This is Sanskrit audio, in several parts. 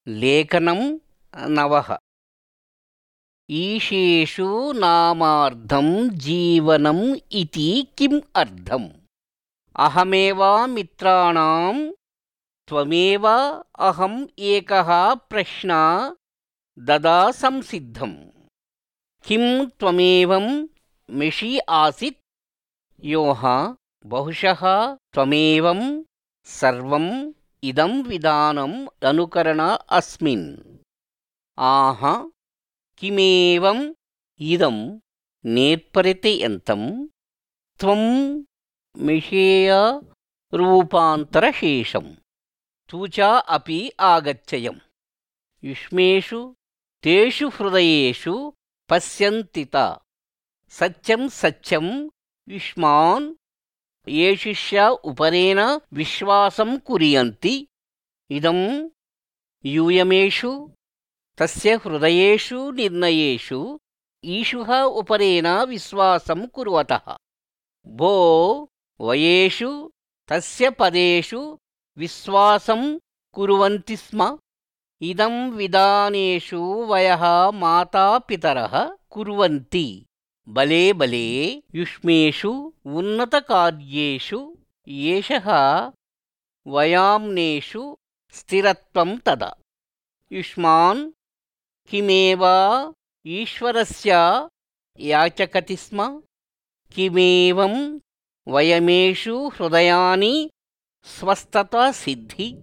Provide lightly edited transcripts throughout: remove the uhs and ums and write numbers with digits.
लेखनं नवः। ईशेषु नामार्धं जीवनम् इति किम् अर्थम्? अहमेवामित्राणां त्वमेव अहम् एकः प्रश्न ददा संसिद्धम्। किं त्वमेवं मिषि आसित्? योः बहुशः त्वमेवं सर्वम् इदं विधानम् अनुकरण अस्मिन्। आह किमेवम् इदं नेर्परित्यन्तं त्वं मिषेय रूपान्तरशेषम् तु च अपि आगच्छयम्। युष्मेषु तेषु हृदयेषु पश्यन्ति ता सत्यं सत्यं युष्मान् येषुष्य उपरेण विश्वासं कुर्वन्ति। इदं यूयमेषु तस्य हृदयेषु निर्णयेषु ईशुः उपरेण विश्वासं कुर्वतः भो वयेषु तस्य पदेषु विश्वासं कुर्वन्ति स्म। इदं विधानेषु वयः मातापितरः कुर्वन्ति बले बले युष्मेषु उन्नतकार्येषु येषः वयाम्नेषु स्थिरत्वं तदा। युष्मान् किमेव ईश्वरस्य याचकति स्म। किमेवं वयमेषु हृदयानि स्वस्थता सिद्धि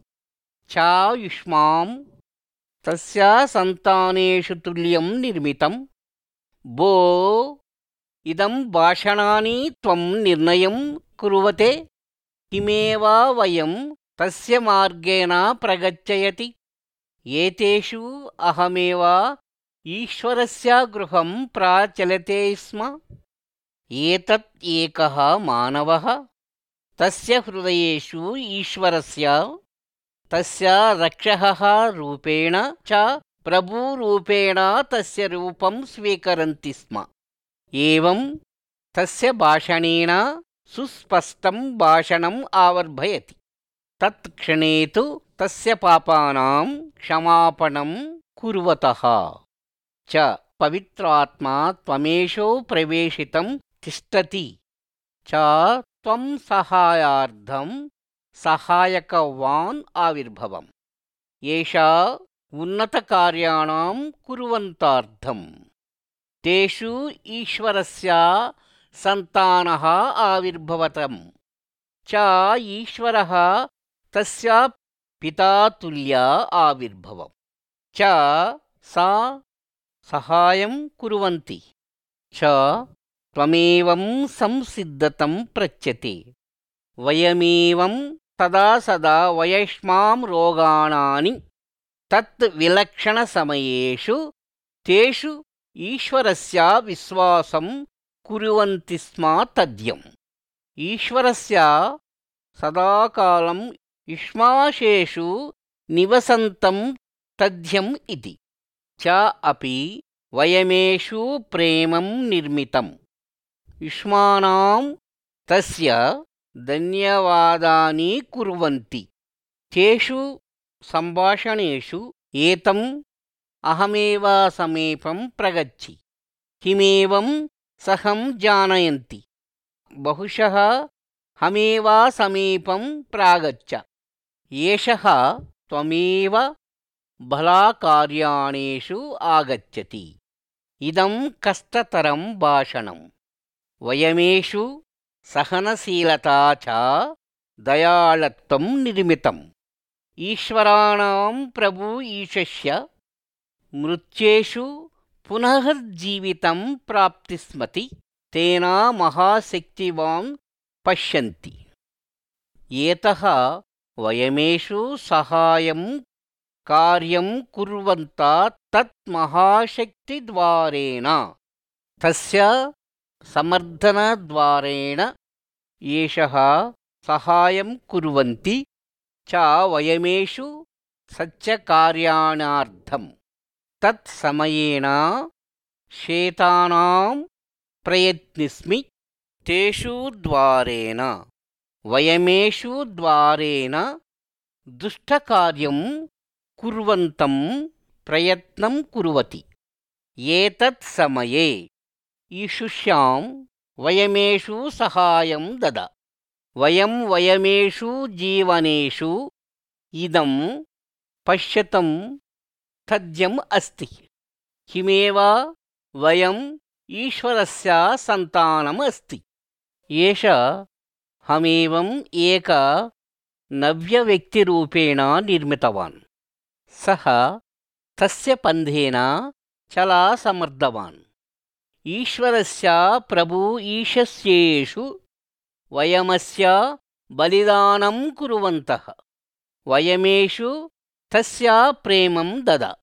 च युष्मां तस्य सन्तानेषु तुल्यं निर्मितं भो इदं भाषणानि त्वं निर्णयं कुर्वते। किमेव वयं तस्य मार्गेण प्रगच्छयति। एतेषु अहमेव ईश्वरस्य गृहं प्रचलते स्म। एतत् एकः मानवः तस्य हृदयेषु ईश्वरस्य तस्य रक्षकः रूपेण च प्रभुरूपेण तस्य रूपं स्वीकरन्ति स्म। एवं तस्य भाषणेन सुस्पष्टं भाषणम् आवर्भयति। तत्क्षणे तु तस्य पापानां क्षमापणं कुर्वतः च पवित्रात्मा त्वमेषु प्रवेशितं तिष्ठति च त्वं सहायार्थं सहायकवान् आविर्भवम्। एषा उन्नतकार्याणां कुर्वन्तार्थं तेषु ईश्वरस्य सन्तानः आविर्भवतं च ईश्वरः तस्य पिता तुल्य आविर्भवम् च सा सहायं कुर्वन्ति च त्वमेवं संसिद्धतं पृच्छते। वयमेवं तदा सदा वयष्मां रोगाणानि तत् विलक्षणसमयेषु तेषु ईश्वरस्य विश्वासं कुर्वन्ति स्म तद्यम्। ईश्वरस्य सदाकालं युष्माशेषु निवसन्तं तद्यम् इति च अपि वयमेषु प्रेमं निर्मितम्। युष्मानां तस्य धन्यवादानि कुर्वन्ति। तेषु सम्भाषणेषु एतम् अहमेव समीपं प्रगच्छि किमेवं सहं जानयन्ति। बहुशः हमेव समीपं प्रागच्छ। एषः त्वमेव भलाकार्याणेषु आगच्छति। इदं कष्टतरं भाषणम्। वयमेषु सहनशीलता च दयाळत्वं निर्मितम्। ईश्वराणां प्रभु ईशस्य मृत्येषु पुनः जीवितं प्राप्तिस्मति तेन महाशक्तिवान् पश्यन्ति। एतः वयमेषु सहायं कार्यं कुर्वन्तः तत् महाशक्तिद्वारेण तस्य समर्थनद्वारेण एषः सहायं कुर्वन्ति च वयमेषु सच्चकार्याणार्थं तत्समयेन शेतानां प्रयत्निस्मि तेषु द्वारेण वयमेषु द्वारेण दुष्टकार्यं कुर्वन्तं प्रयत्नं कुर्वति। एतत् समये ईशुष्यां वयमेषु सहायं दद। वयमेषु जीवनेषु इदं पश्यतं तथ्यम् अस्ति। किमेव वयम् ईश्वरस्य सन्तानम् अस्ति। एष हमेवम् एक नव्यव्यक्तिरूपेण निर्मितवान्। सः तस्य पन्थेन चला समर्थवान्। ईश्वरस्य प्रभु ईशस्येषु वयमस्य बलिदानं कुर्वन्तः। वयमेषु तस्य प्रेमं दद।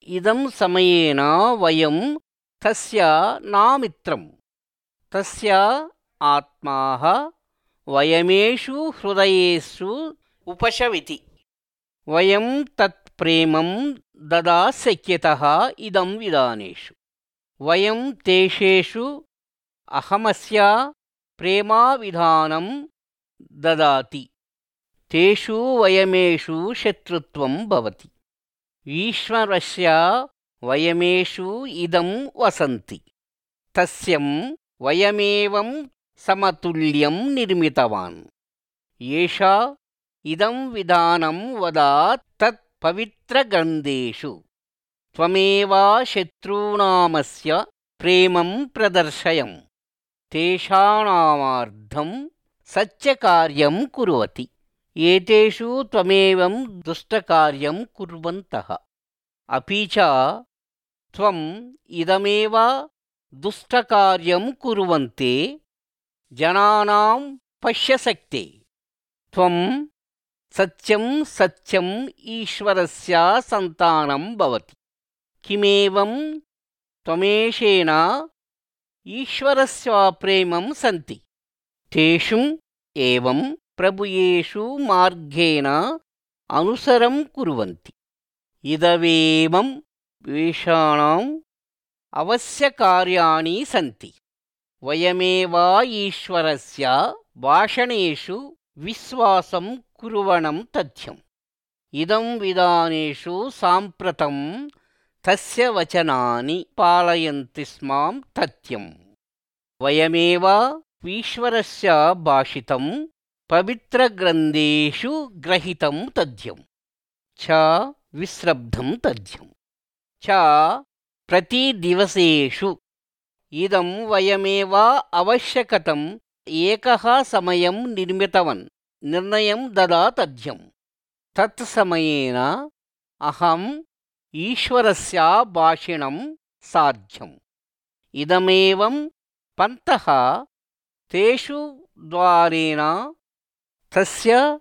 इदं समयेन वयं तस्य नामित्रं। तस्य आत्माः वयमेषु हृदयेषु उपशविति। वयं तत् प्रेमं ददा शक्यतः इदं विधानेषु। वयं तेषेषु अहमस्य प्रेमाविधानं ददाति। तेषु वयमेषु शत्रुत्वं भवति। ईश्वरस्य वयमेषु इदं वसन्ति। तस्यं वयमेवं समतुल्यं निर्मितवान्। एषा इदं विधानं वदात् तत् पवित्रग्रन्थेषु। त्वमेव शत्रूणामस्य प्रेमं प्रदर्शयम्। तेषाणामार्थं सत्यकार्यं कुर्वति। एतेषु त्वमेवं दुष्टकार्यं कुर्वन्तः। अपि च त्वम् इदमेव दुष्टकार्यं कुर्वन्ते जनानां पश्यशक्ते। त्वं सत्यं सत्यम् ईश्वरस्य सन्तानं भवति। किमेवं त्वमेषेण ईश्वरस्य प्रेमं सन्ति। तेषु एवं प्रभुयेषु मार्गेण अनुसरं कुर्वन्ति। इदमेवं वेषाणाम् अवश्यकार्याणि सन्ति। वयमेव ईश्वरस्य भाषणेषु विश्वासं कुर्वणं तथ्यम्। इदं विधानेषु साम्प्रतं तस्य वचनानि पालयन्ति स्मां तथ्यम्। वयमेव ईश्वरस्य भाषितं पवित्रग्रन्थेषु ग्रहीतं तथ्यं च विश्रब्धं तथ्यं च प्रतिदिवसेषु। इदं वयमेव आवश्यकतम् एकः समयं निर्णयं ददा तथ्यं। तत्समयेन अहम् ईश्वरस्य भाषिणं साध्यम्। इदमेवं पन्तः तेषु द्वारेण तस्य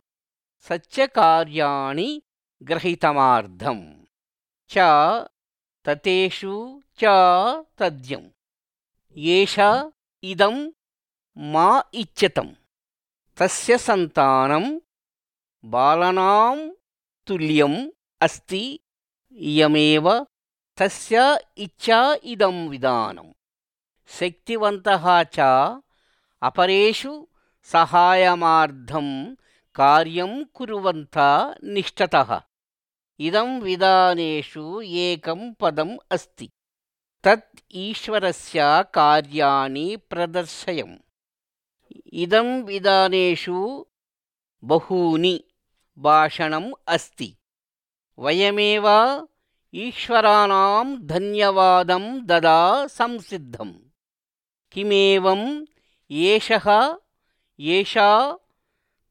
सत्यकार्याणि ग्रहीतमार्थं च ततेषु च तथ्यम्। एष इदं मा इच्छतम्। तस्य सन्तानं बालनां तुल्यम् अस्ति। इयमेव तस्य इच्छा इदं विधानम्। शक्तिवन्तः च अपरेषु सहायमार्थं कार्यं कुर्वन्तः निष्ठतः। इदं विधानेषु एकं पदम् अस्ति। तत् ईश्वरस्य कार्याणि प्रदर्शयम्। इदं विधानेषु बहूनि भाषणम् अस्ति। वयमेव ईश्वराणां धन्यवादं ददा संसिद्धम्। किमेवं एषा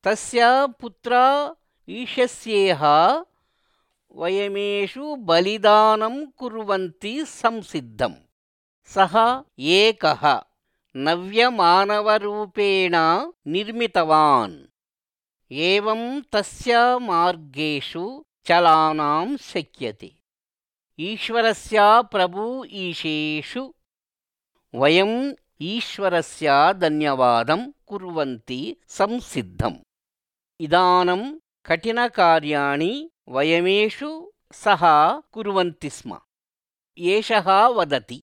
तस्य पुत्रा ईशस्येह वयमेषु बलिदानं कुर्वन्ति संसिद्धम्। सः एकः नव्यमानवरूपेण निर्मितवान्। एवं तस्य मार्गेषु चलानां शक्यते। ईश्वरस्य प्रभु ईशेषु वयम् ईश्वरस्य धन्यवादं कुर्वन्ति संसिद्धम्। इदानं कठिनकार्याणि वयमेषु सः कुर्वन्ति स्म। एषः वदति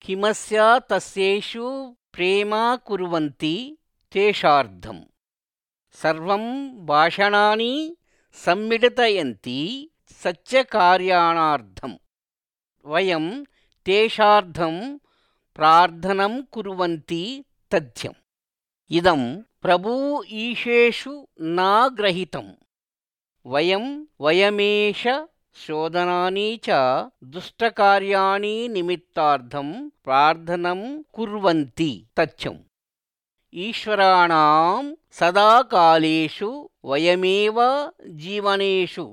किमस्य तस्येषु प्रेम कुर्वन्ति तेषार्थम्। सर्वं भाषणानि सम्मिलितयन्ति सच्चकार्याणार्थं वयं तेषार्थं प्रार्थनं कुर्वन्ति तथ्यम् इदं प्रभु ईशेषु न ग्रहीतं वयमेष शोधनानि च दुष्टकार्याणि निमित्तार्थं प्रार्थनं कुर्वन्ति तथ्यम् ईश्वराणां सदाकालेषु वयमेव जीवनेषु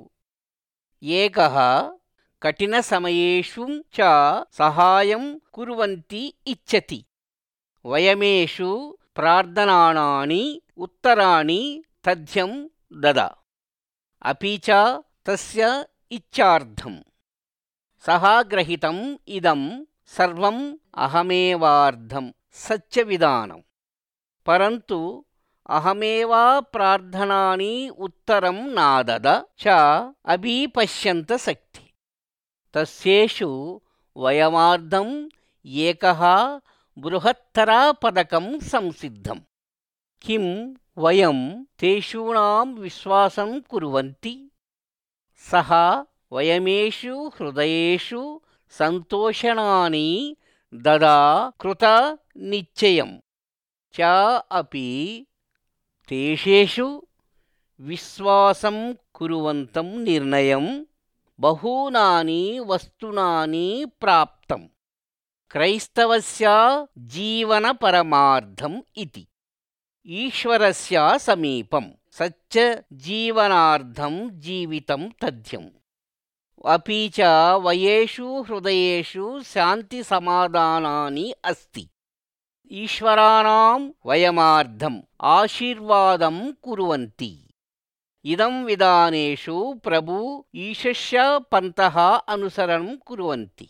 एकः कठिनसमयेषु च सहायं कुर्वन्ति इच्छति वयमेषु प्रार्थनानि उत्तराणि तथ्यं ददा अपि च तस्य इच्छार्थं सः ग्रहीतम् इदं सर्वम् अहमेवार्धं सत्यविधानं परन्तु अहमेव प्रार्थनानि उत्तरं नादद च अभिपश्यन्त शक्ति तस्येषु वयमार्धम् एकः बृहत्तरपदकं संसिद्धम् किं वयं तेषूणां विश्वासं कुर्वन्ति सः वयमेषु हृदयेषु सन्तोषणानि ददा कृतनिश्चयं च अपि तेषेषु विश्वासं कुर्वन्तं निर्णयं बहूनानि वस्तूनानि प्राप्तम् क्रैस्तवस्य जीवनपरमार्थम् इति ईश्वरस्य समीपं सच्चजीवनार्थं जीवितं तथ्यम् अपि च वयेषु हृदयेषु शान्तिसमाधानानि अस्ति ईश्वराणां वयमार्धम् आशीर्वादं कुर्वन्ति इदं विधानेषु प्रभु ईशस्य पन्तः अनुसरणं कुर्वन्ति